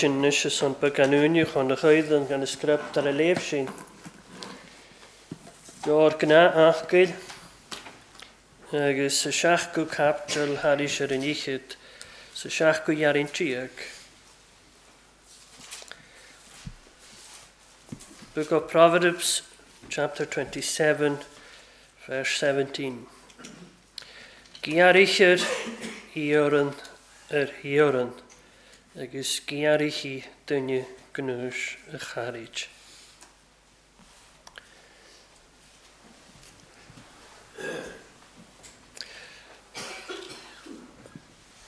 Sin anois is an beagán uaine chun a choighdeán gan a script ar a léamh sin. Leabhar gnáth-acaill agus sa seachtú caipiteal thairis ar an fhichead sa seachtú dheartháir déag. Book of Proverbs, chapter 27, verse 17. Gearraithear iarann ar iarann agus gearrfaidh duine gnúis a charaid.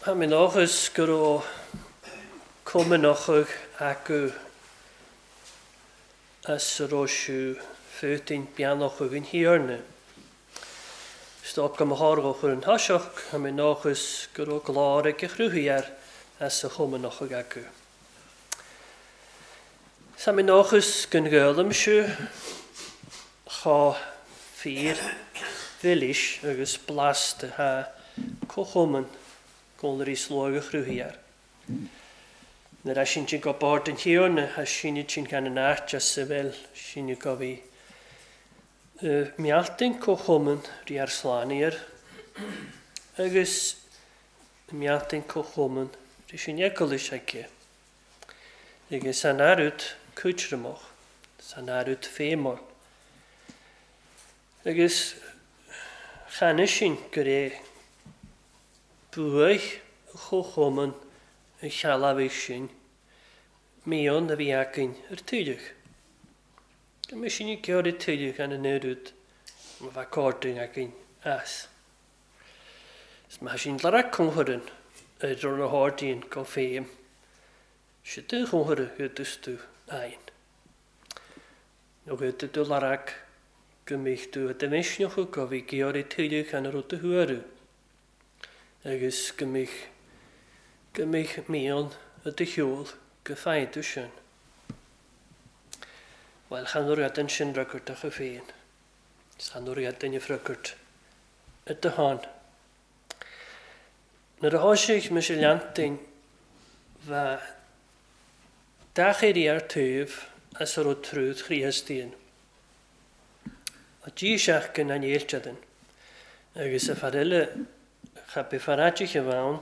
Tá mé dóchas go raibh cumannachadh acu as a raibh siú fútinn beannachadh an Thiarna. Stop go mo thorghadh chur an toiseach, tá mé dóchas go raibh glór ag a chruthaigh air as a chumannachadh acu. Tá mé dóchas go n-gaolaim siú chomh fíor mhilis agus blasta thá comhchumann cónairí sluaigh a chruthaigh air. Nuair a sin go bord an Thiarna, thá sinne sin gan an áit as a bhfuil sinne go bhí mealtain comhchumann rí ar slánaíor agus mealtain comhchumann rí sin eaglais aici. Agus san arút cúitreamach, san arút féimol. Agus cheana sin gur é buaidh chomhchumann an chealabhaigh sin mion a bhí againn ar tuilleadh. Go mbeidh sin ag iarraidh tuilleadh gan an oiread ma bheadh cairde againn as. Is maith sin le comhaireann ar na hardaíonn go féim. Siad do chomhaire thuas tú ainn. Nó go tú larag go mbeidh tú i do mhisneach go bhí ag iarraidh tuilleadh gan an rud a thuarú. Agus go mbeidh go mbeidh mian i do shiúl go faigheann tú sin. Bhuel, chan oiread ansin fhreagartach féin. Is chan oiread duine freagairt i do shon. Nuair a thoisigh mise leantain bheadh dachairí ar taobh as a raibh trúd Chríostaíon. A díseach go n-anéilteadan. Agus a fear eile cha bith fear áitithe bhann,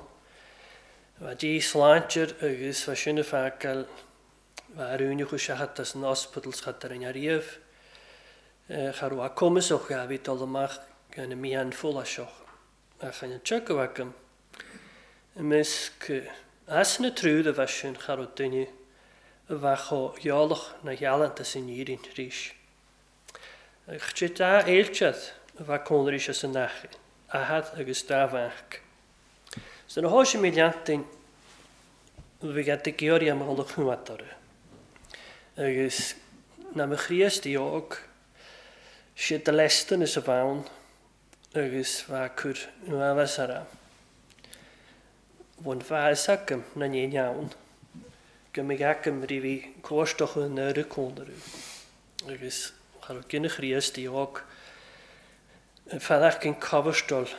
bheadh dí sláintear agus bheadh sin a fágáil bheadh ar úine chu seachad as an ospidal schat ar an ariamh. Cha raibh a cumasach a bhí dul amach gan a mian fóláiseach. Ach an teagadh agam i measc as na trúd a bheith sin cha raibh duine a bheadh chomh gheolach na ghealanta san Éirinn arís. Ach sé dá éiltead a bheadh cónairí sé san ahad agus dá bheadh. So na thoisigh mé leantain bhí gad ag iarraidh am dhul a chumat orthu. Agus na mo Chríostaí óg siad de lestan is a bhann agus bheadh cur nuabhas ar Bhain feas agam na n-aon ann go mbeidh agam rí bhí cóisteach an nuair a cónarú. Agus cha raibh gine Chríostaí óg feadach gin cobhastol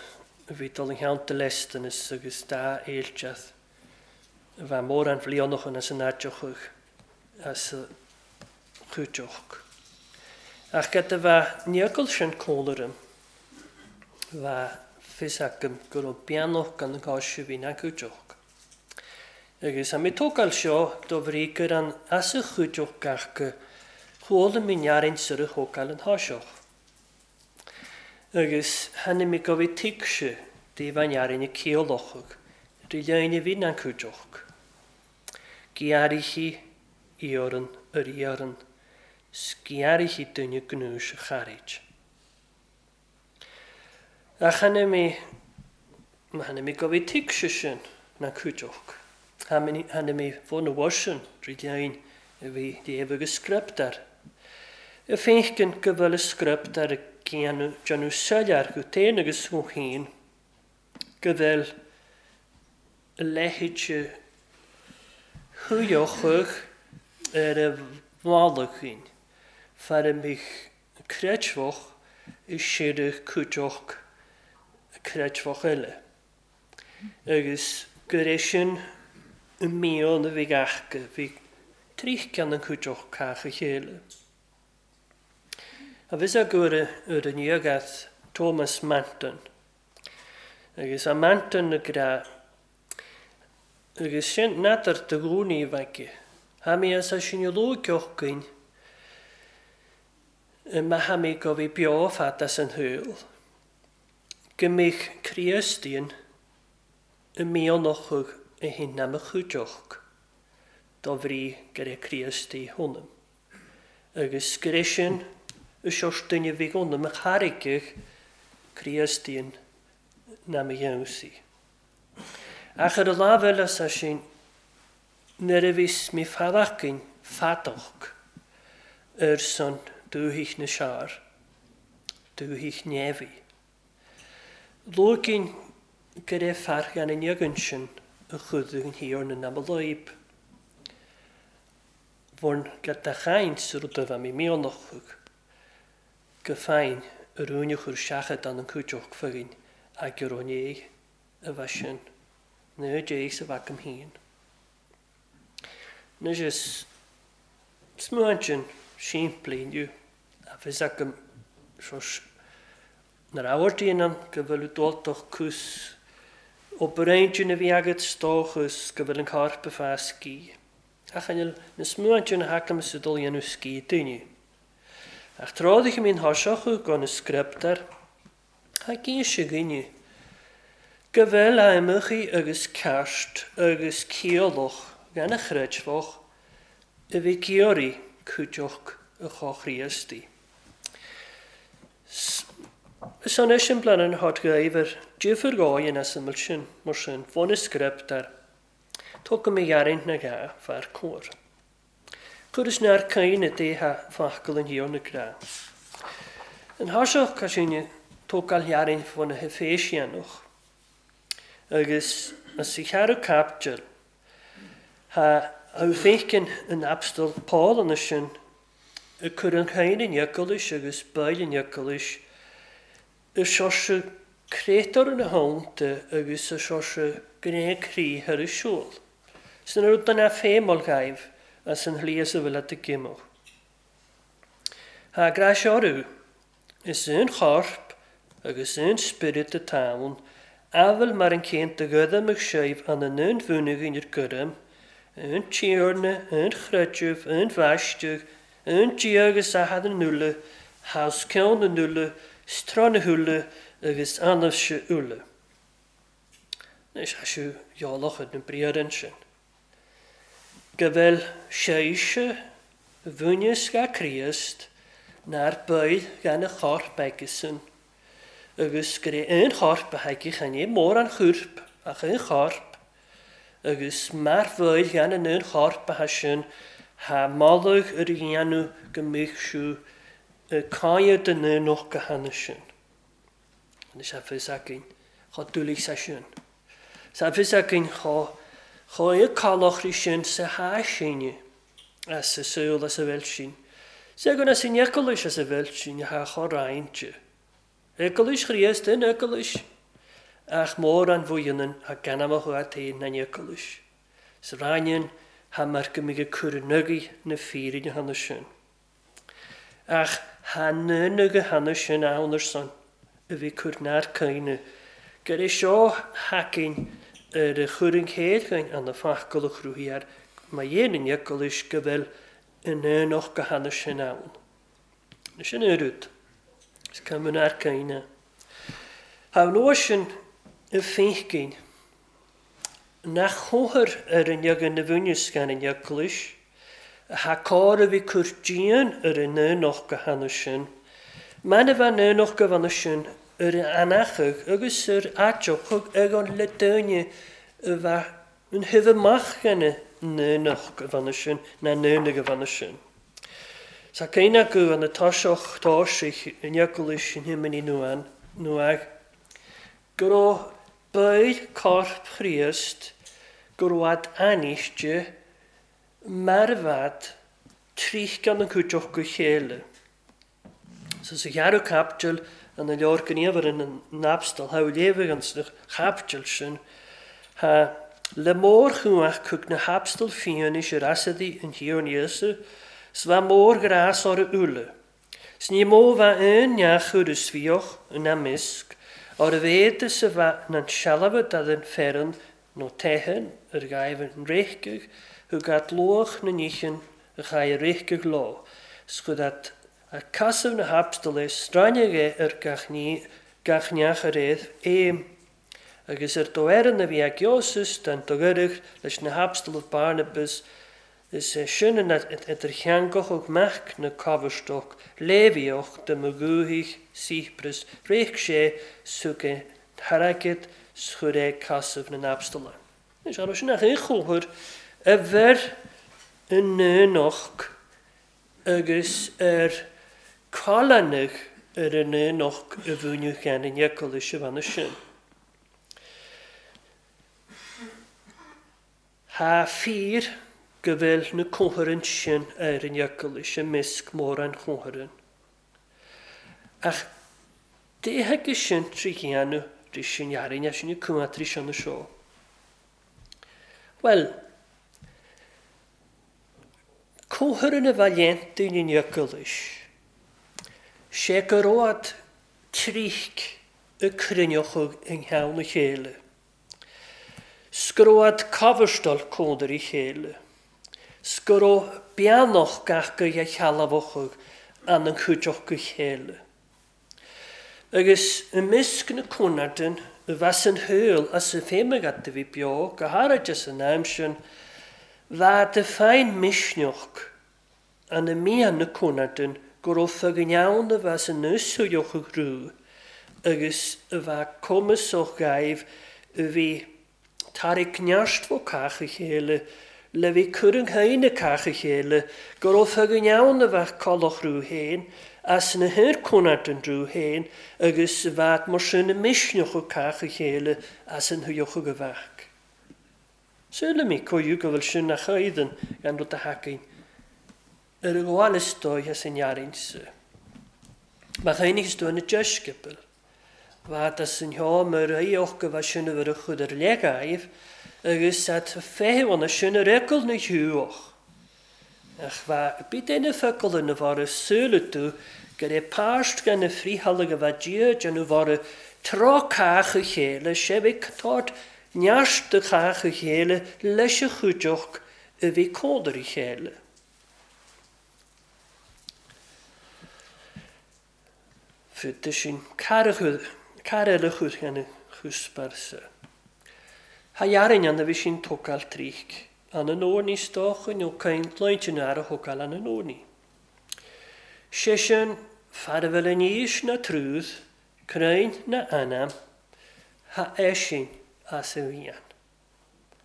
a bhí dul an cheann de lestanas agus dá éilteath a bheith mórán bhlianachan as an áiteochadh as a chúiteoch. Ach gad a bheith níogal sin cónaram bheith fios agam go raibh beannach gan an gcás a bhí na cúiteoch. Agus a mé tógáil seo do bhrí gur an as a chúiteoch gach go chuala mé nearraint sur a thógáil an tháiseach. Agus tháinig mé go bhí tuigse daoibh an nearraint a ciallachadh rí leine bhí na cúiteoch. Gearraichí iarann ar iarann, sgearraichí duine gnúis a charaid. Ach tháinig mé tháinig mé go bhí tuigse sin na cúiteoch. Tháinig mé fón na bhfuirsin rí lein a bhí léamh agus script air. Y féinchgin go bhfuil y script ar déanamh soiléir go féin agus go féin go bhfuil a leithéid thuilleochadh ar a bhallachín fear a mbíodh creidmheach i sireadh cúiteoch creidmheach eile. Agus gur é sin an meon a bhí acu, bhí trícheann an chúideach cách a chéile. A bhfios acu ar an ndiagath Thomas Manton. Agus a Manton a grá agus sin n'fheadar do dhúnaí a bheith aici. Tha mé as sin a luaigh againn má tha mé go bhí beo fad as an shaol, go mbeadh Críostaíon i mianachadh a hin ná mo chuideachd, dá bhrí gur é Críost é ionam. Agus gur é sin a seoirse duine a bhí ionam a thairgeadh Críostaíon ná mo gheansaí. Ach ar an lámh eile sa sin, nuair a bhíos mé fadachgainn fadach ar son dúthaigh na seár, dúthaigh neamhaí. Luaiginn go raibh fear gan an iogann sin a chuidigh an Thiarna ná mo láib. Bhorn go da chaint sa rud a bheith mé mianachadh go féin a rúin a chur seachadán an cúiteach fagainn ag ar é a bheith sin. Ná dé sa bheith agam féin. Anois is smaointe simplí inniu a bheas agam nuair a amharcaíonn an go bhfuil dultach cús obair intinn a bhí agat 's dóchas go bhfuil an corp ag fás scíth. Ach an bhfuil na smaointe na hacam is dul a dhéanamh scíth daoine. Ach tráth a mbíonn thoiseachadh gan na scrioptar, tá géis againne go bhfuil aidhmeachaí agus ceart agus ciallach gan a chreidmheach a bhí ciarraí cúiteach a chomhchríostaí. Is anois an plean an hot ghaibhir difear gáin as an sin mar sin bhuna scrioptar. Tugadh mé ghearraint na gá fear cóir. Chuir is neart caoine déithe focal an Thiarna grá. An thoiseach tá sin tógáil ghearraint bhuna hEiféisiánach. Agus as sa cheathrú caibidil tá féiceann an Abstal Paul anois sin ag cur an chaoin in Nioclais agus baill in Nioclais i seoirse créatúr ina theannta agus i seoirse gné croí thar a siúl. Sin an rud duine féimheáil dhaoibh as an shlí as a bhfuil at ag imeacht. Tá gráis orthu. Is aon chorp agus aon spiorad atá ann, amhail mar an céanna do ghoidimidh sibh an an aon bhunadh ar gcoirm, aon Tiarna, aon chreideamh, aon bhaisteadh, aon Dia agus Athair na n-uile, thá os cionn na n-uile, 's tráth na huile agus ionaibhse uile. Anois tá sibh eolach ar na briathra ansin. Go bhfuil sibhse bhuaineas ga Críost nár baill gan a chorp aigesan, agus gur é aon chorp a thaigfidh chan é mórán choirp ach aon chorp, agus mar bhaill gan an aon chorp atá sin, tá moladh ar a dhéanamh go mbeadh siú ag cáineadh den aonach go cheana sin. Anois tá fios againn chomh dúlaigh sa sin. Tá fios againn chomh chomh éagcálach sin sa háisíne as sa saol as a bhfuil sin. Sé go as an Eaglais as a bhfuil sin atá chomh roinnte. Eaglais Chríost in Eaglais, ach mórán bhuíonann a gan amach uait é na n-eaglais. Sa ráineann thá mar go mbeidh ag cur in aghaidh na fírinne cheana sin. Ach thá n-aon cheana sin ann ar son a bhí cur nár caoineadh, gur é seo thacainn ar a chur an chéad chuing an na focal a chruthaigh air má dhéanann eaglais go bhfuil in aonach go cheana sin ann. Sin an rud. Is cuma nár caoineadh. Thá an uair sin i bhféinchinn nach chóir ar an iogann na bhfuinneamh gan an eaglais, thá cóir a bhí cur dian ar an aonach go cheana sin, man a bheith an aonach go bhana sin ar an anachadh agus ar áiteachadh ag an le daoine a bheith an thaobh amach gan an aonach go bhana sin ná an aonaigh go bhana sin. Sa céanna acu an toiseach toisigh in eaglais in himini nuan nuaidh go raibh baill corp Chríost go raibh ainniste mar a bheadh trícheann an cúiteach go chéile. So sa cheathrú caibidil an leabhar gníomhar in an Abstal, thá léamh an sna chaibidil sin, thá Le mórchumhacht thug na hAbstail fianaise ar easadaí an Thiarna Íosa, 's bha mórghrás orra uile. 'S ní mó bha aon neach ar is bhíodh ina measc, ar a mhéad is a bha nan sealbha dad an fearann nó teitheann ar ghaibh an réicfeadh thug at luach na nícheann a chaith a réicfeadh leo, 's chud at a casadh na hAbstail é sraineadh é ar gach ní gach neach ar fhéad fhéim. Agus ar do fhearann a bhí ag Iósas dan do gcuireadh leis na hAbstalaibh Barnabas, is é sin an idirtheangachadh mac na Cobharstoc, Léivíoch de mo dhúthaigh Cyprus, réic sé 's thug é t-airgead 's chuir é casadh na nAbstalach. Anois, cha raibh sin ach aon chomhar a bheir i n-aonacht agus ar coileánaigh ar an aonacht a mhúineadh cheana Nioclais a bheanna sin. Thá fíor go bhfuil na comhaireann sin ar an Eaglais i measc mórán chomhaireann. Ach d'fhéadfadh sin trí dhéanamh rí sin fhearainn é sin ag cumhacht rí seo na seo. Bhuel, comhaireann a bheith léannta in an Eaglais, sé go raibh tríc ag cruinneochadh i gceann a chéile. 'S go raibh ad cabharstal cónair a chéile. 'S go raibh beannach gach go dhe shealbhóchadh an an chuideachta go chéile. Agus i measc na cónardan a bheas an shaol as a féim agat a bhí beo, go háirid as an am sin, bheadh do féin misneach an a mian na cónardan go raibh fag ann a bheas an úsáideachadh rú agus a bheadh cumasach gaibh a bhí tarrac neart fó cách a chéile, le bhí cur an chéine cách a chéile, go raibh fag ann a bheadh collach rú féin, as na haon rú féin, agus a bheadh mar sin a misneach cách a chéile as an thuiochadh a bheadh. Súile mí coiú go bhfuil sin a chaidhan gan rud a hacain ar a ghabháil is dóigh as an fhearainn-sa. Má tháinig tú na deisceabail, bheadh as an sheomra oíoch go bheadh sin a bhur a chud ar legáibh, agus at feitheamh anna sin ar eagal na hiúach. Ach bheadh bit duine focal ina bhar súile tú gur é páist gan na fríthalaigh a bheith Dia déanamh bhar tráth cách a chéile, sé bheith tárt neart de cách a chéile leis a chuideach a bhí códar a chéile. Fud sin cara eile chur cheana chusparsa. Ha dhearainn an a bhí sin tógáil tríc, an an óirní stocha nó cain lointe na a thógáil an an óirní. Sé sin fear a bhfuil an aois na trúth, crainn na anam, ha eisin as a bhíonn.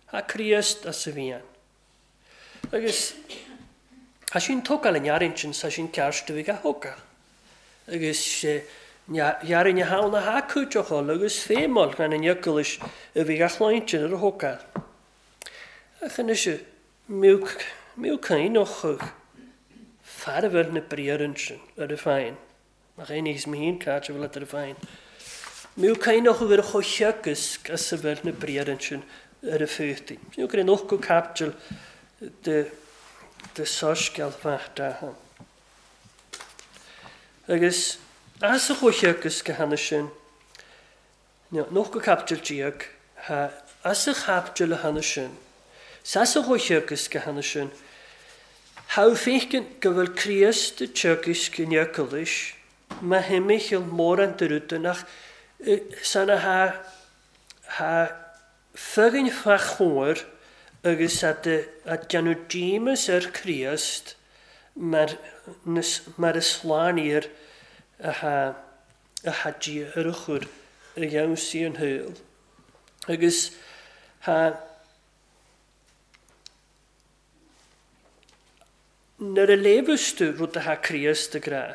Ha Críost as a bhíonn. Agus ha sin tógáil an dhearainn sin sa sin ceart a bhí a thógáil. Agus sé dhearainn a hán a hacuiteacháil agus féimeáil gan an Eaglais a bhí a chláinte ar a thógáil. Ach anois miú caoinochadh fear a bhfuil na briathra sin ar a féin. Nach aon níos mín cáit a bhfuil ar a féin. Miú caoinochadh ar a chomhtheagasc as a bhfuil na briathra sin ar a féachtaí. Sin gur an 8ú caibidil de Soiscéal Mhac Dathan. Agus as a chomhtheagasc go hana sin, 18ú caibidil, ha as a chaibidil a hana sin, sas a chomhtheagasc go hana sin, ha féiceann go bhfuil Críost i teagasc in Eaglais, má himmichil mórán de rudanach, san a ha fagainn fachóir agus a déanamh díomas ar Críost mar a slánaír a ha Dia ar a chur a gheansaí an shaol. Agus ha nuair a léamhas tú rud a ha Críost a grá,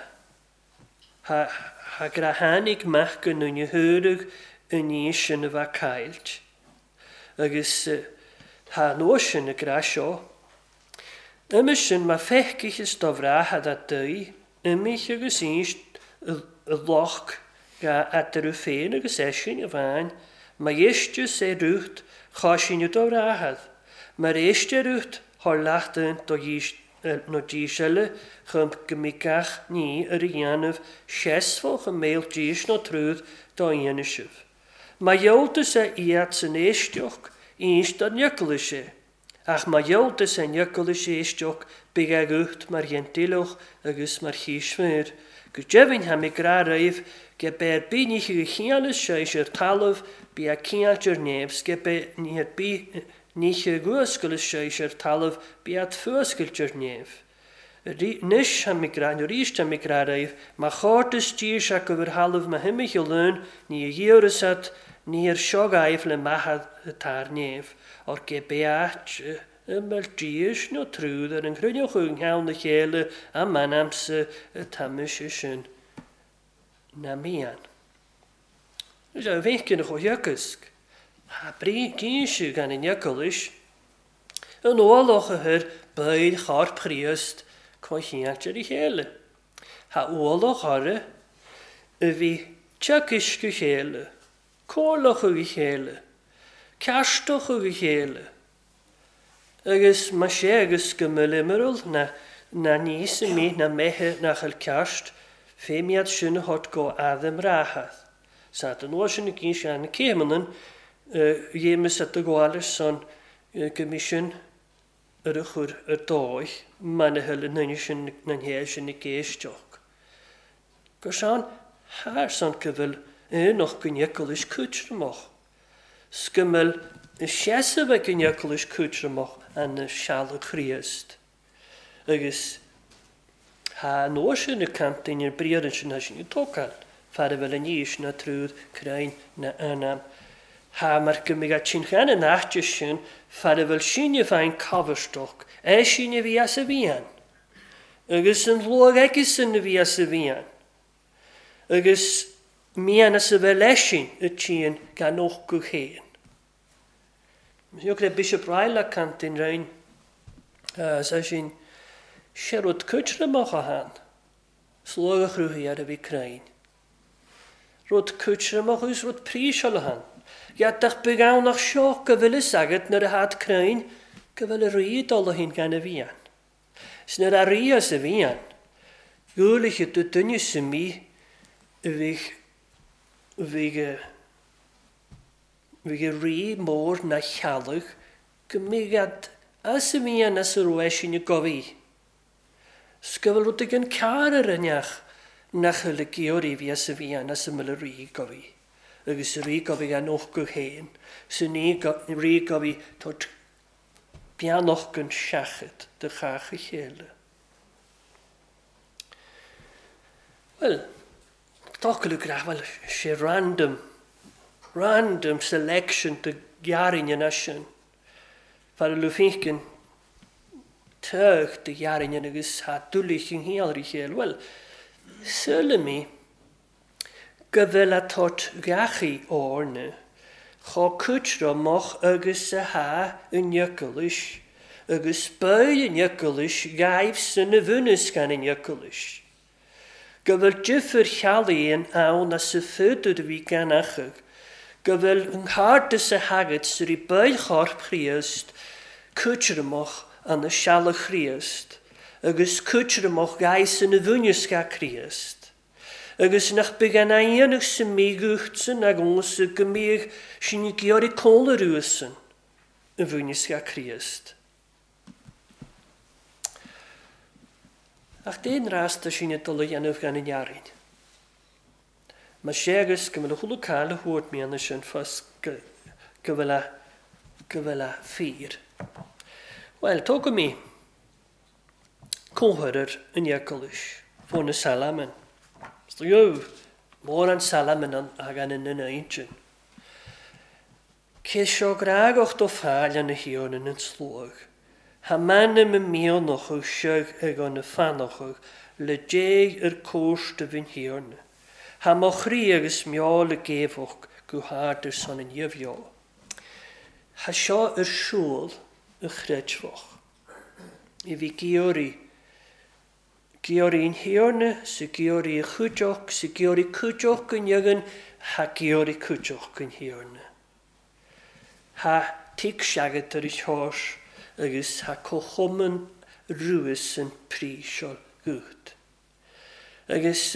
ha grá tháinig mac go ndúine thuarach i ndiaidh sin a bheith caillt. Agus ha nua sin a grá seo. Uime sin má feicich is do bhreatha dá daoi, imich agus ins i loch ga eatarthu féin agus eisin a bhain, Má éisteas é rút, chá síneadh do bhrathad. Mar éiste rút, thar leath duint do dhís nó dís eile, chum go mbeidh gach ní ar a dhéanamh seasmhach i mbéal dís nó trúd dá fhianaisibh. Má ghealltas é iad san éisteacht, éist dár n-eaglais é. Ach má ghealltas é n-eaglais éisteacht, bidh a ghuth mar Ghentíleach agus mar chísmhaor. Go deimhin, tha mi grá roimh, ge b'é ar bith ní a chianas séis ar talamh, bí a ciailt ar neamh, 's ge b'é ní ar bith ní a ghuascail séis ar talamh, bí at fuascailt ar neamh. Anois tha mi grá, nó arís tha mi grá roimh, má chártas dís acu ar thalamh mo thimcheall ann, ní a ghiorras at, ní ar seo gaibh le maithe atá ar neamh, or ge b'é áit a mbeadh dís nó trúd ar an chruinneochadh i gceann a chéile a m'anamsa atá mise sin na mian. Is é a bhféiceann a chomhthiocasc. Thá brí dínse gan an eaglais. An ualach a chuir baill Chorp Chríost comhcheannt ar a chéile. Thá ualach orthu a bhí teagaisc a chéile, comhairleach ag a chéile, ceartach ag a chéile. Agus más ea agus go mbeadh imeall na níos i mí na mbeithe nach bhfuil ceart, fém iad sin a thabhairt go Adam Rahath. Sa den uair sin a gcinn sé na céimeanna dhéimeas at do ghabháil ar son go mbí sin ar a chur ar dóigh mana thuill an duine sin na nhéil sin ag éisteacht. Gur sean thar son go bhfuil aonach go n-eaglais cútramach. 'S go mbeadh seasamh ag an eaglais cútramach ana sealbh Chríost. Agus thá an uair sin ag caint duine ar briathar ansin thá sin ag tógáil fear a bhfuil an aois ná trúd crainn ná anam. Thá mar go mbeadh a tionchar in áite sin fear a bhfuil síneadh féin cabhairstoc, é sin a bhí as a mhian. Agus an luach aigesan a bhí as a mhian. Agus mian as a bheith leis sin a tchíonn gan fhócadh féin. Thug le Bishop Ryle caint in Roinn sé sin sé rud cútramach a than. Slógadh a chruthaigh ar a bhí crainn. Rud cútramach agus rud príseáil a than. Gheadach beag ann ach seo go bhfuil fhios agat nuair a thad crainn go bhfuil a rí ag dul a shin gan a mhian. 'S nuair a rí as a mhian, ghualaithe do duine sa mí a bhíodh bhíodh bhíodh a rí mór ná chealg go mbíodh ad as a mhian as a raibh eisean ag gabhaidh. 'S go bhfuil rud éigin cearr ar an neach nach bhfuil ag iarraidh bhí as a mhian as a mbeadh a rí gabhaidh. Agus a rí gabhaidh an ócadh féin. 'S an rí gabhaidh tabhairt beannacht gan seachad do chách a chéile. Bhuel, d'fhocal ag rá, bhuel, sé random, random selection do ghearrainn an sin. Fear a Lufínchinn tugh do ghearrainn agus thá dúlaich an shaol ar a chéile. Bhuel, sílim í go bhfuil a tabhairt gheachaí óirne chomh cútramach agus a thá an eaglais, agus baill an eaglais ghaibh san a bhunús gan an eaglais. Go bhfuil difir chealaíonn ann as a fuadar a bhí gan achadh, go bhfuil an cairdeas a thagat sa rí baill chorp Chríost cútramach ana sealbh Chríost, agus cútramach ghaibh san a bhunús ga Críost. Agus nach beag an aonach sa míghucht san agamsa go mbíodh sin ag iarraidh cónra uasan a bhunús ga Críost. Ach d'aon rasta sin ag dul a dhéanamh gan an fhearainn. Más ea agus go bhfuil a chuala cáil a thabhairt mian sin fos go bhfuil a go bhfuil a fíor. Bhuel, tógfaidh mé comhthreomhar an eaglais, fó na Salaman. Is dóigh mórán Salaman ann a thagann ina intinn. Cé seo grágach do fáil ina thiarna an tslóigh. Thá m'anam i mianach seag ag an fanachadh le Dé ar cóiste bhinn thiarna. Thá mo chroí agus meall ag géabhach go hard ar son an gheimhreadh. Thá seo ar siúl a chreidmheach. I bhí giorraí. Giorraí an thiarna sa giorraí a chúiteach sa giorraí cúiteach go ndeagan thá giorraí cúiteach an thiarna. Tha tuigse agat ar a sheois agus tha comhchumann ruas an príseáil gut. Agus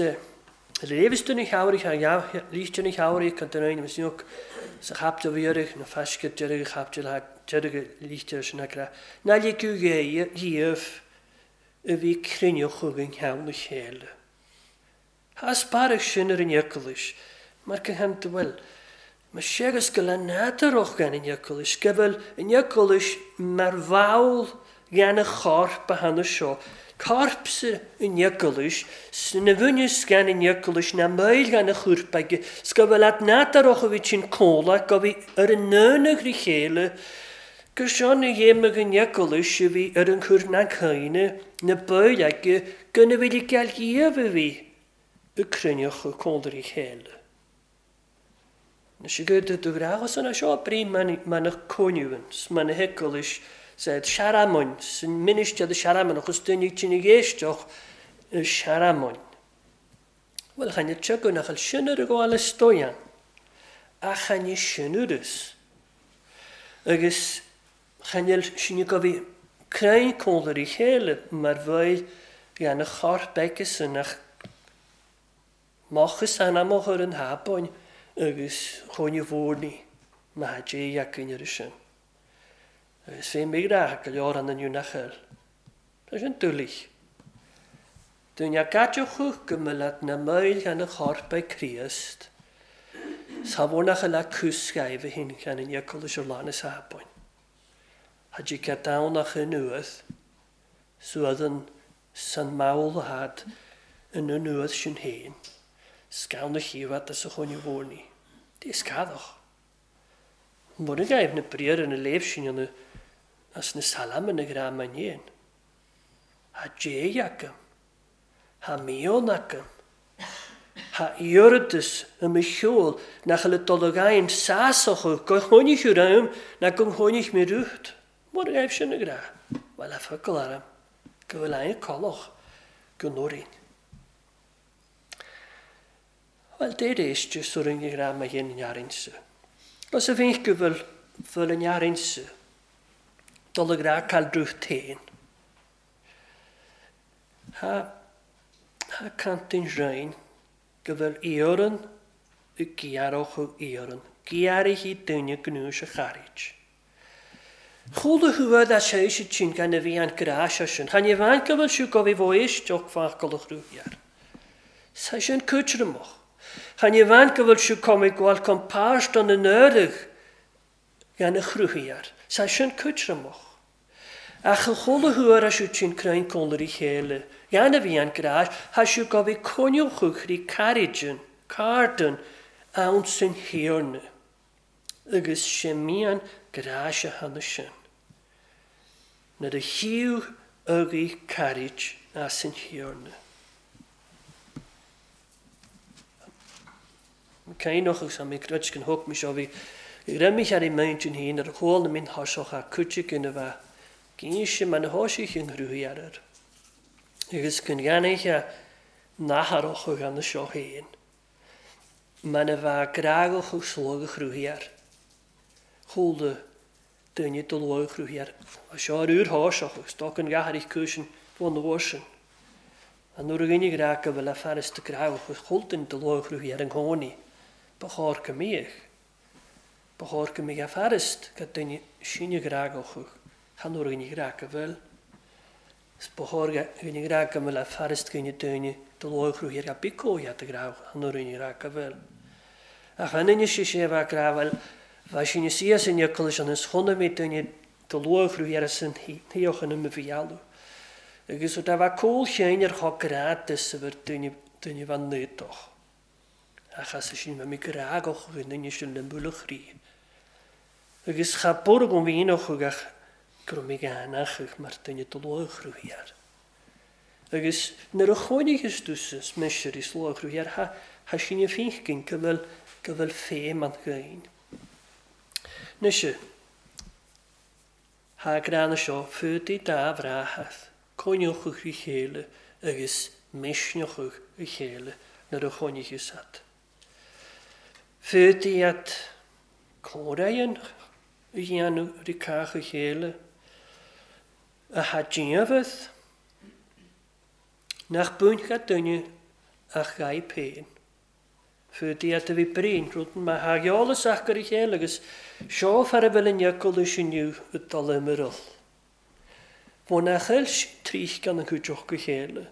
léamhas do na heabhraithe, líste na heabhraithe chun den aon snoc sa chaptail bhíoraigh na faisce deireadh chaptail deireadh líste sin acu ná ligeadh dhíobh a bhí cruinneach chugainn cheann na chéile. Thaispeánadh sin ar an Eaglais mar go hanta bhfuil. Mar seachas go le nádúrach gan an Eaglais, go bhfuil an Eaglais mar bhall gan a chorp a cheana seo. Corp sa an Eaglais, sna bhfuinneas gan an Eaglais ná moill gan a chorp aige, 's go bhfuil ad nádúrach a bhí tinn comhla, go bhí ar an ndomhan rí chéile, gur seo na dhéanamh an Eaglais a bhí ar an chur na caoine, na baill aige, go na bhfuil i gceal dhíobh a bhí ag cruinneach a cónra chéile. Na sé go do ghráthas an seo brí man a cóniúint, man a heaglais said searamoin, san minister de searamoin, agus duine tine géisteach searamoin. Wel, chan y tygwn nach al sin ar y gwael ysdoian, a chan y sinwrys. Agus chan y sin y gofi creu cónra i chéile mar bhail gan y chorp agus yn ach mochus anamach ar an habain agus chóine mhórní má dé againn ar sin. Agus fé mé rá go leor an inniu nach eil. Tá sin dúlaigh. Duine gadeoch go mbeadh na moill gan a chorp ag Críost. Sa bhór nach le cúsgaibh a hin gan an eaglais ar lán is habain. Had i gadáwnach yn uath, suadan san mawl had yn y nuath sin héin, sgawn y chiwad as y chóine mhórní. Dí scadach. Mwr y gaif na briar yn y leif sin yn y as na salam yn y gram yn un. Ha dé agam. Ha mion agam. Ha iordus ym y siôl nach y dologain sasach o gochónich yw'r am na gochónich mi rwyd. Mwr y gaif sin y gra. Wel a ffygl aram. Gyfel ein coloch gynwrin. Wel, deir eistio sŵr yn gra mae hyn yn iarinsa. Os y fi'n gyfel fel yn iarinsa, dol y gra cael drwch ten. Ha, ha cantyn rhain gyfel ioryn y giaroch o ioryn. Giari hi dyna gnwys y charid. Chwl y hwyd a sé eisiau ti'n gan y fi an gras sin. Chan i fan gyfel siw gofi fo eistioch fach golwch rwyar. Sa sin cwtr ymwch. Chan i fan gyfel siw comig gwal compars don y nörig gan y chrwyar. Sa sin cwtr ymwch. Ach y chwl y hwyr a siw ti'n creu'n conler i chéile. Gan y fi an gras, ha siw gofi coniwch ri caridyn, cardyn, awn sy'n hirna. Agus sé mian gras a hanna sin. Nuair a chiú agaí carid as an hirna. Cainoch agus am grud gan thug mi seo bhí remich ar i meint yn hyn ar chóil na min thasoch a cúte gyn y fa. Gyn se man a hóisi chyn hrwy ar yr. Agus gyn ganich a naharoch o gan y seo hyn. Man a fa gragoch o slog y chrwy ar. Chól y duine do log chrwy ar. A seo ar yw'r hóisoch agus doc yn gahar i'ch cwysyn fod yn orsyn. A nuair a gynnig rag a fel a ffaris dy gragoch o chól dyn dy log chrwy ar yng nghoni. Ba chóir go míoch. Ba chóir go míoch a ffarist ga duine sinne gragoch chan nuair a gynnig rag a fel. Is ba chóir gynnig rag a fel a ffarist gynnig duine dy log chrwy ar ga bicó iad y gragoch chan nuair a gynnig rag a fel. A chan inne sé sé bha grafel, bha sin is sin eaglais an is chonna mé duine dy log chrwy ar sin híoch yn ym y fialw. Agus o da bha cól chéin ar cho gratis a bhur duine fan nödoch. Achas sin mi gragoch yn inne sin le mwlwch ri. Agus cha bwrg o'n fi'n o'ch ach grwm i ganach ach mar duine dy log chrwy ar. Agus nuair a chóinig is dúsas meisir i slog chrwy ar ha sin y ffeinchgyn gyfel ffem an gyn. Nysio, ha gran y sio ffydi da frahath, coniwch ych i chéile agus meisnioch ych i chéile nuair a chóinig is at. Ffydi at córain a dhéanamh ri cách a chéile, a tha dianmhaith, nach buainfeadh duine ach ghaibh féin. Fud iad a bhí brín, rud mar tha eolas acu ar a chéile agus seo fear a bhfuil an eaglais inniu ag dul imearl. Bhuel nach eil sin tríth gan an chuid go chéile.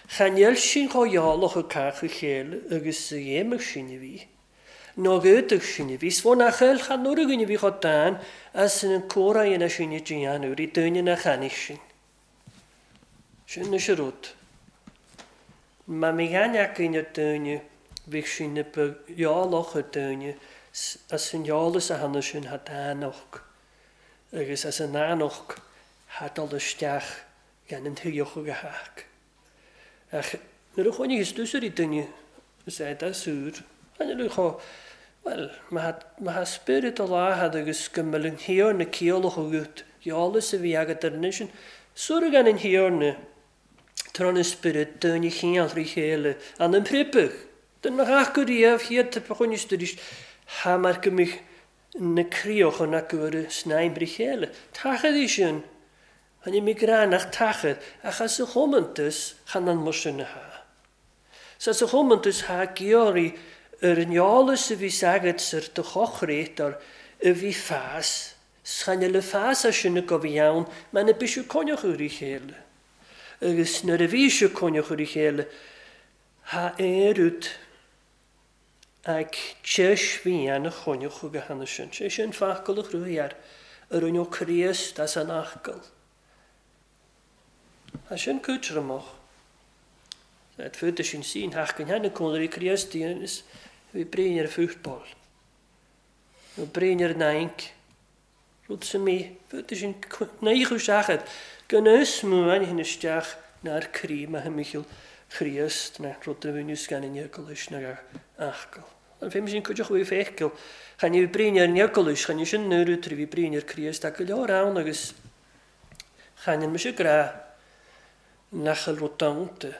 Chan eil sin chomh eolach ag cách a chéile agus a dhéanfadh sin a bhí. Nó ghéadadh sin a bhí. 'S bhuel nach eil chan uair againn a bhí chomh dan as an comhrá dhéanamh sin a déanamh rí duine nach chainnigh sin. Sin is an rud. Má bhí aithne againn ar duine bhíodh sin a ba eolach ar duine as an eolas a tháinig sin thá dánach agus as an dánach thá dul isteach gan an tuilleach a theacht. Ach nuair a chónaigh is ar duine is é dá súr, tháinig chomh, bhuel, má thá spiorad a láthad agus go mbeadh an Thiarna ciallach agat, eolas a bhí agat ar an sin, súr gan an Thiarna, tráth an spiorad duine chineál rí chéile, an an pripeadh, den nach acu riamh chiad a choinnis arís, thá mar go mbeadh na críocha acu ar a snaidhm rí chéile. Tachad í sin, Tháinig mé gránach tachad, ach as a chomantas chan an mar sin a thá. Sa sa chomantas thá georaí ar an eolas a bhí agat ar do chochrétar a bhí fás, chan le fás as sin go bhí ann, mar na bisiú coinneach ar a chéile. Agus nuair a bhí siú coinneach ar a chéile, thá aon rud ag teis bhí ann a choinneach go hana sin. Sé sin focal a chruthaigh air, a rinne Críost as an acaill. Tá sin cúiteamach. Het fud sin sín hach an henne cónaí Críost is bhí bréin ar fútbol. Nó bréin ar naink. Rud sa mí, fud sin naochu seachad, gan is mú an hin isteach nár crí ma Michel Chríost na rud a bhúniú gan an eaglais na achcail. An féim sin cuideach bhí féiceil, chan bhí bréin ar an eaglais, chan sin nuair trí bhí bréin ar Chríost ach go leor ann agus chan mise grá nach bhfuil rud dánta,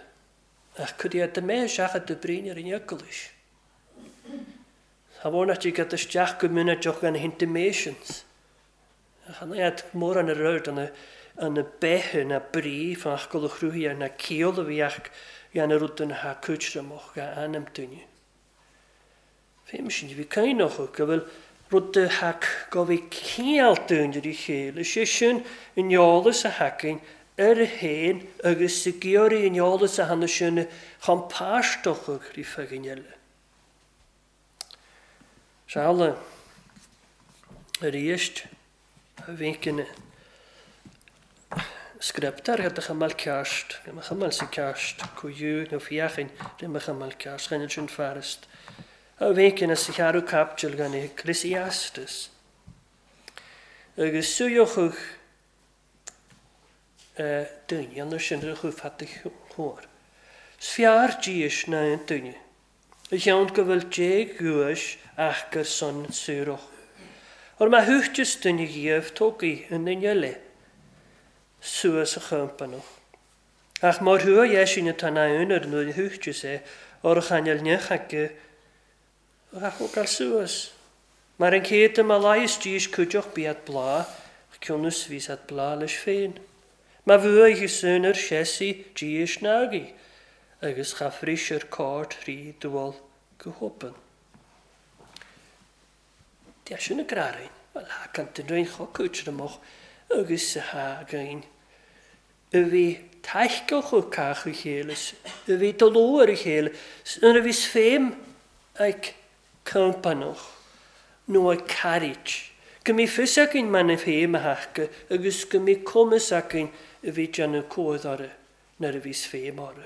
ach cud iad mé seachad de bréin ar an eaglais. Tá mhór nach dtig isteach go minic gan na intimations. Chan iad mór an rud an na bethe na brí fach go chruthaí ar na ciall a bhí ach gan a rud den ha cúitreamach ga ainm duine. Féim sin bhí caineach go bhfuil rud de hac go bhí ciall dúinn ar a chéile, sé sin an eolas a hacainn ar a héin agus sa géoraí an eolas a hana sin chun páisteach rí fegainn eile. Seála arís a bhíonn scriptar het de chamal ceart, go chamal sa ceart, cuiú nó fiachain ri me chamal ceart, chan sin farist. A bhíonn sa chearú captil gan Ecclesiastes. Agus suíochadh duine, an sin a chu fat chóir. Sfearr díos ná an duine. A cheann go bhfuil dé guais ach gur son suarach. Or má thuchtas duine dhíobh tógaí an duine eile suas a champanach. Ach mar thua dheis sin atá na aonar nuair a thuchtas é, or a chainel neach aige a thógáil suas. Mar an chéad ma leigheas díos cuideach bíad blá, cionnas bhí at blá leis féin. Ma bhuaigh i sunar sesi díos nagaí, agus cha fris ar cárt rí dual go hopan. Dia sin a gráin, well ha kan den roin chocuitreamach agus sa ha gain. A bhí taisceach ó cách a chéile, a bhí doló ar a chéile, nuair a bhí féim ag campanach nó ag cairit. Go mí fios againn man na féim a hacha agus go mí cumas againn a bhí déanamh comhad orthu nuair a bhís féim orthu.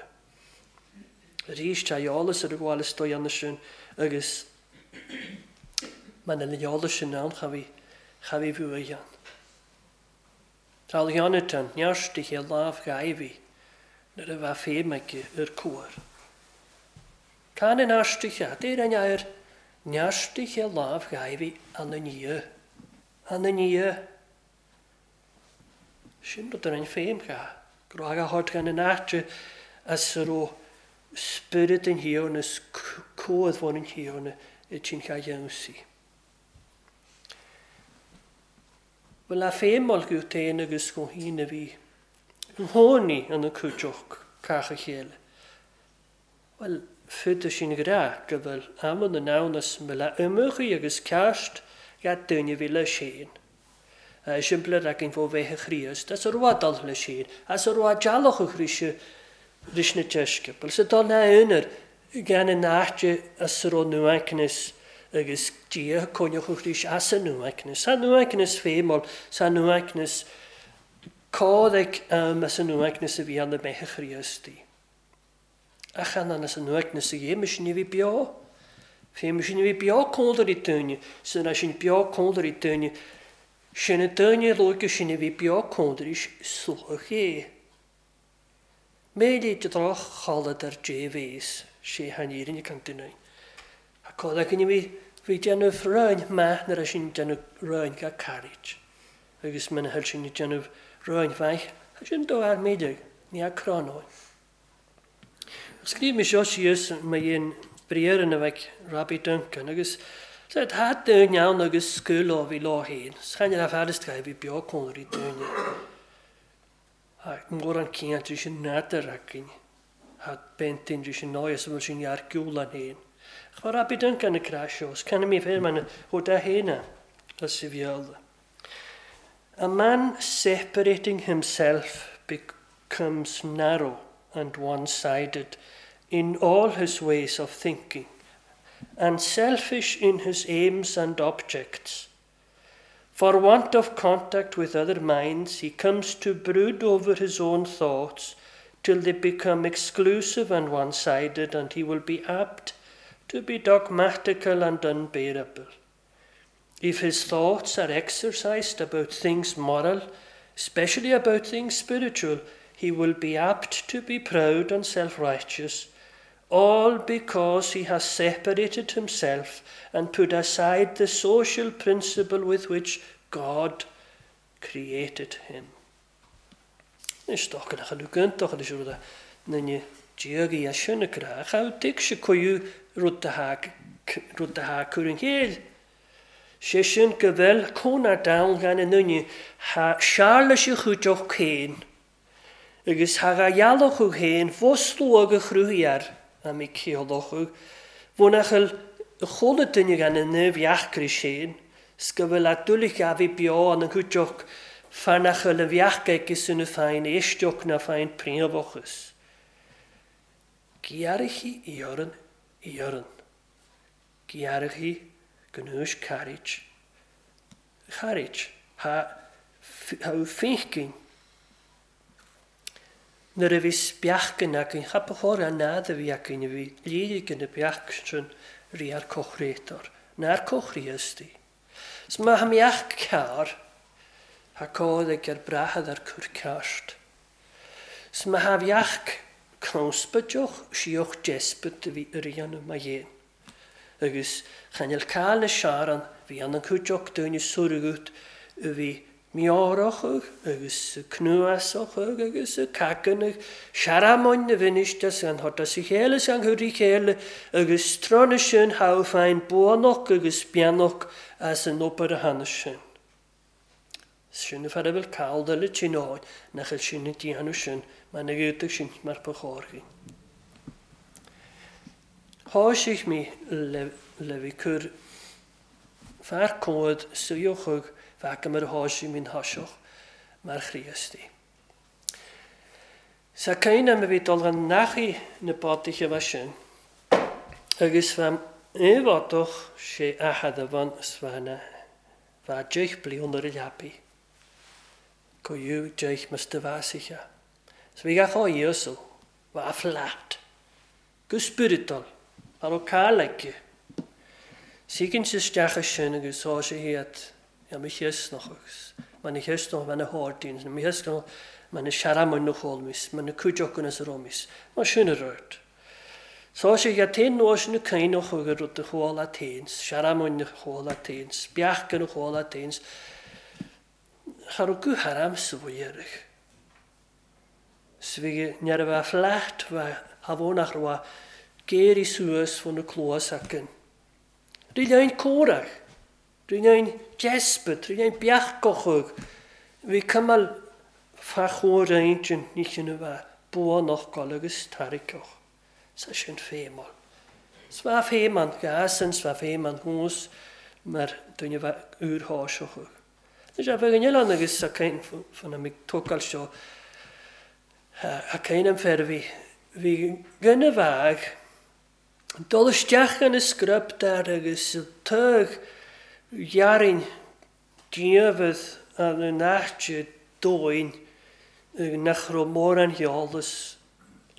Arís tá eolas ar a bhfuil is dóigh ann sin agus man an eolas sin ann cha bhí bhuaidh ann. Tá Jonathan nearsti sé lámh ghaibhí nuair a bheith féim aige ar cuar. Can an airsti deir an air nearsti sé lámh ghaibhí an an nia. An an nia. Sin rud ar an féim ga. Go raibh a thabhairt gan an áite as a raibh spiorad an Thiarna is comhad bhain an Thiarna i dtionchar dhéanamh. Bhuel a féin go féin agus go hín a bhí hóní an na cúideach caicha chéile. Bhuel, fud sin gra go bhfuil aman na nánas me le imechaí agus ceist ga duine bhí le séin. Simple racin fó bheithe Chríost, as a ruadal le séin, as a ruadalach a chríse ris na teisce. Bhuel sa dul na únar gan an náte as a ro nuaicnis agus dia coinneach a chrís as a nuaicnis. Sa nuaicnis fémol, sa nuaicnis códaic as a nuaicnis a bhí an na beithe Chríostaí. Ach an as a nuaicnis a dhéime sin bhí beo. Féime sin bhí beo códar i dúine, san sin beo códar i dúine, sin a duine luige sin a bhí beo códaris suach é. Méid de droch chalad ar dé sé han irinne kan duine. A códa cyn bhí bhí déanamh ráin maith nuair a sin déanamh ráin ga cairit. Agus mena thuil sin déanamh ráin bheith, sin do ar méidir, ní a cranóin. Scríb mé seo síos ma dhéon briar na bheith Robbie Duncan agus Sa tá dúin ann agus scúl ó bhí lá héin, Chaine le fearist ga bhí beo cónaí dúine. Mór an céant sin nátar againn. Ha bentin sin náis bhfuil sin gearcúlan héin. Ach mar Robbie Duncan na cra seo, Canna mí fér man ó da héna as i bhealda. A man separating himself becomes narrow and one-sided in all his ways of thinking, and selfish in his aims and objects. For want of contact with other minds, he comes to brood over his own thoughts till they become exclusive and one-sided, and he will be apt to be dogmatical and unbearable. If his thoughts are exercised about things moral, especially about things spiritual, he will be apt to be proud and self-righteous, all because he has separated himself and put aside the social principle with which God created him. Is toch nach lu toch is rud nne diagaí a sinna gra, cha tig se cuiú rud a ha cur an chéil. Sé sin go bhfuil cónar down gan an nunne ha searla se chuideach céin, agus ha ga dhealach chu héin fós luag a chrúthaí a mí céalach Bhnachail chola duine gan an bheachcrí séin, 's go bhfuil a dúlich a bhí beo an an chuideach fanachil a bheachca agus na féin éisteach na féin príomhachas. Gearrachaí iarann iarann. Gearrachaí gnúis cairit. Chairit ha fécinn. Nuair a bhí speachcan againn, chapachóir an nád a bhí againn a bhí léirig na beach sin rí ar cochrétar, nar cochríostaí. S má ha meach cear, ha cód ag ar brachad ar cur ceart. S má ha bheach cnóspadeoch, síoch despot a bhí a rianú má dhéan. Agus chanel cáil na searan, bhí an an cuideach duine surugut a bhí miárach agus cnuasach agus cacanach searamóin na bhiniste an thota sa chéile an chuirí chéile agus trána sin ha féin buanach agus beannach as an obair a thána sin. Sin a fear a bhfuil calda le tináin nach bhfuil sin na déanamh sin mar na gcuideach sin mar ba chóir. Tháisigh mé le bhí cur fear cód suíochadh bheadh mar a tháisigh mín tháiseach mar Chríostaí. Sa céine a bhí dul an nachaí na bátaithe bheith sin, agus bheith éifeachtach sé athad a bhain is bheith bheith deich bliain ar a leapaí. Cuiú deich mas de bhásaiche. So bhí gach á Íosal, bheith flat, go spiritual, mar ó cáil aici. Síginn sa isteach sin agus tá sé hiad ja mi chiasnach agus man na chiasnach man na háirtín, mi chiasnach man na searamán na chólmis, man na cuideach as a romis, mar sin a rud. Tá sé ga téin nóis na caineach agus rud a chóla téins, searamán na chóla téins, beachca na chóla téins, cha raibh go haram sa bhfuil. Bhí near a bheith flat bheith habhónach raibh géirí suas fan na clós acan. Rí lein córach. Rinne desperate, rinne beachgochog. Bhí cumal fa chóir intinn ní sin a bheith buanach gol agus tarraiceach. Sa sin féimeáil. 'S bheadh féim an gas an 's bheadh féim an thuas mar duine bheith úrtháiseach. Anois a bheadh an oileán agus a cain fan a tógáil seo a cain an fer bhí bhí duine bheadh dul isteach ina scrioptar agus tug ghearrainn diamhair an áite dóin nach raibh mórán eolas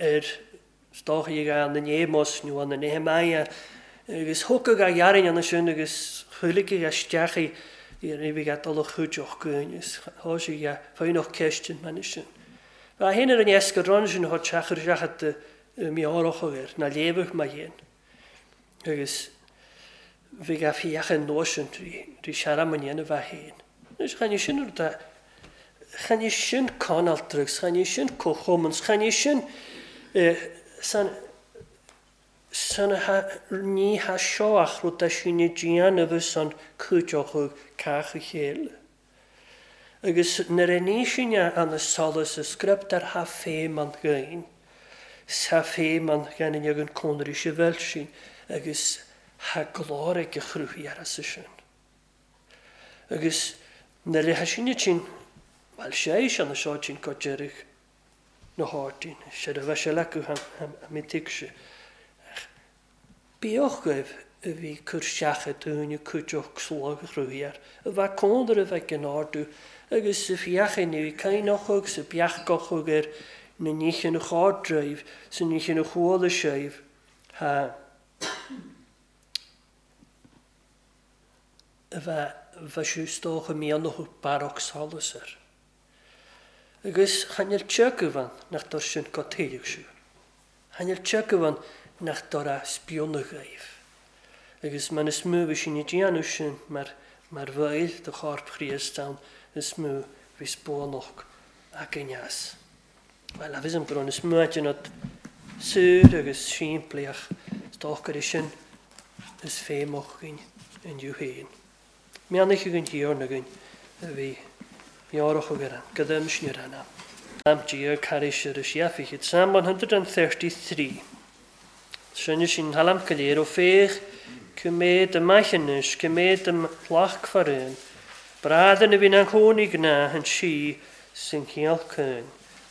ar stochaí an na Némos nó an na Nehemiah agus thógadh a ghearrainn ann sin agus chuiligh isteach í bhí a dul a chuideoch gúin is thá sé a fáinneach ceist an mena sin. Bha héin ar an easca ran sin thá teachar isteach meabhrach air ná léamh mar dhéan. Agus bhí a fiachan nua sin rí searam an dhéanamh bheith féin. Anois chan é sin rud a chan é sin conaltraigh, chan é sin comhchumann, chan é sin san san ní ha seo ach rud a sin i déanamh san cuideochadh cách a chéile. Agus nuair a ní sin an solas a scrioptar ha féim an ghain, sa féim an ghain ag an cónairí se bhfuil sin agus ha glór ag a chruthaí ar as sin. Agus nuair a sin sin bhuel sé sin na seo sin go deireadh na háirtín, sé a bheith sé lecu ha se. Bíoch goibh a bhí cur seacha dúine cuideoch slog a chruthaí air, a bheith cónair a bheith in ardú, agus sa fiacha ní cainneach agus sa beachgoch ar na níchin a chárdreibh, sa níchin a chuala séibh, ha a bheith bheith siú stócha mianach barach solas air. Agus chanel teagmhan nach dor sin go téileach siú. Chanel teagmhan nach dor a spionach gaibh. Agus man is mó bhí sin i déanamh sin mar mar bhfuil de chorp Chríost ann is mó bhí spónach againn as. Well, a bhí an brón is mó déanamh súr agus simplí ach is dócha é sin is féimach againn inniu féin. Meannaich againn thiarna againn a bhí meabhrach againn an gadaim sin ar an am. Am Dia caris ar a siafichid. Psalm 133. Sinne sin halam go léir ó féach cymed y maichinus, cymed y lach farun. Bradan a bhín an chónaí gná an sí sin chéal cún.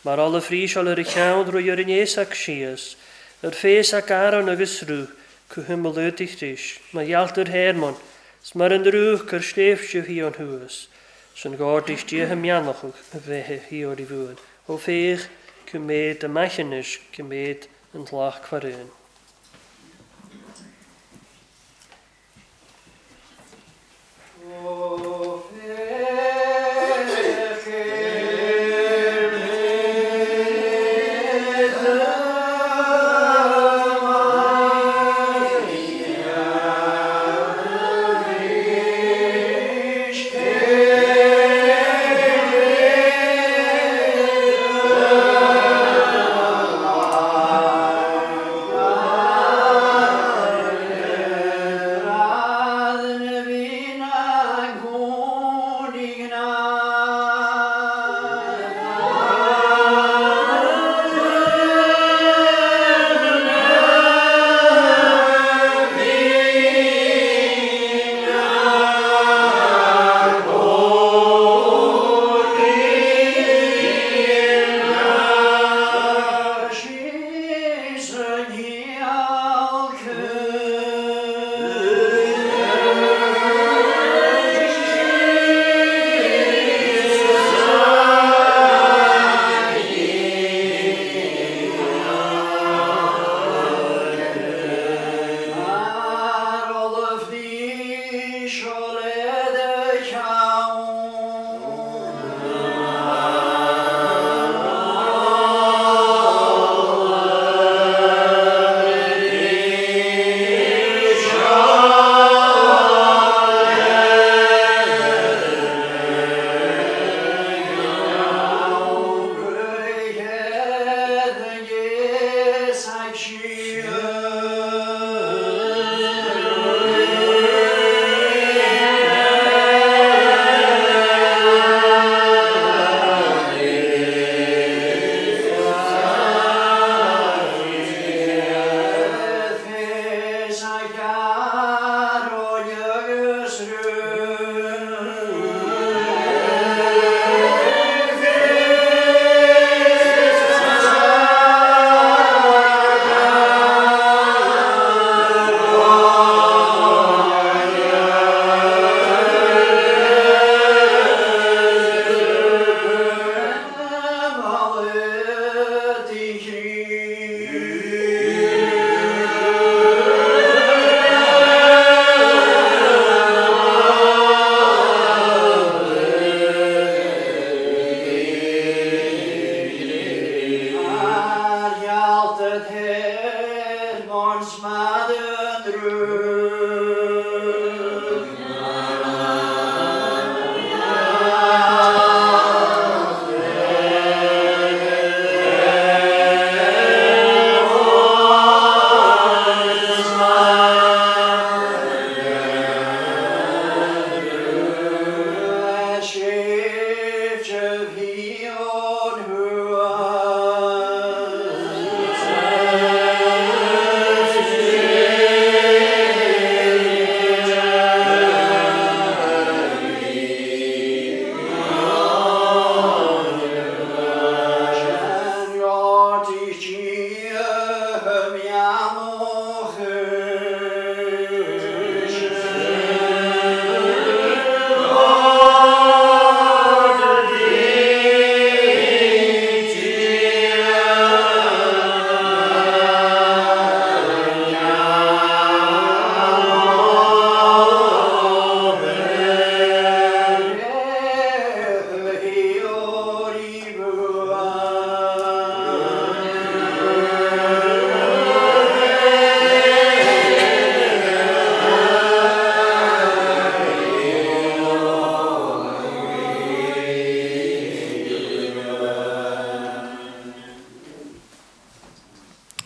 Mar alla fríseáil ar a cheann ro ar an éasac síos, ar fés ac Aaron agus rú, cu himmelúdigh ris, mar ghealtar Hermon, 's mar an rúch ar sléibhse hí an thuas, san gárdís díotha meannach a bheithe hí ar i bhuain. Ó féach cymed y maichinus, cymed an lach farun.